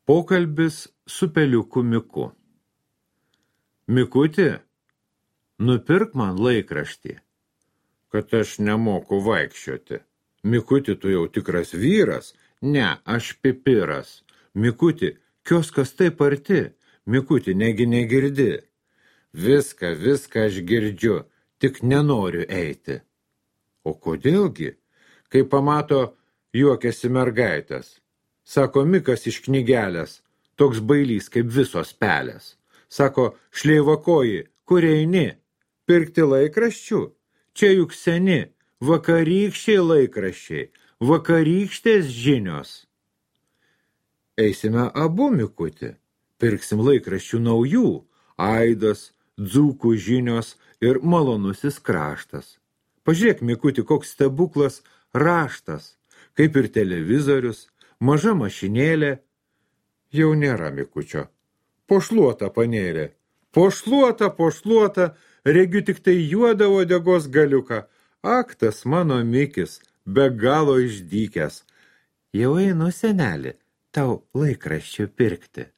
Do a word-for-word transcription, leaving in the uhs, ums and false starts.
Pokalbis su peliuku Miku. Mikuti, nupirk man laikraštį, kad aš nemoku vaikščioti. Mikuti, tu jau tikras vyras? Ne, aš pipiras. Mikuti, kioskas taip arti. Mikuti, negi negirdi. Viską, viską aš girdžiu, tik nenoriu eiti. O kodėlgi? Kai pamato, juokiasi mergaitės. Sako Mikas iš knygelės, toks bailys kaip visos pelės. Sako, šleivakoji, kur eini? Pirkti laikraščių? Čia juk seni, vakarykščiai laikraščiai, vakarykštės žinios. Eisime abu, Mikuti, pirksim laikraščių naujų, aidas, dzūkų žinios ir malonusis kraštas. Pažiūrėk, Mikuti, koks stebuklas raštas, kaip ir televizorius, maža mašinėlė. Jau nėra Mikučio. Pošluota panėlė. Pošluota, pošluota, regiu tik tai juodą uodegos galiuką. Ak, tas mano Mikis, be galo išdykęs. Jau einu, seneli, tau laikraščių pirkti.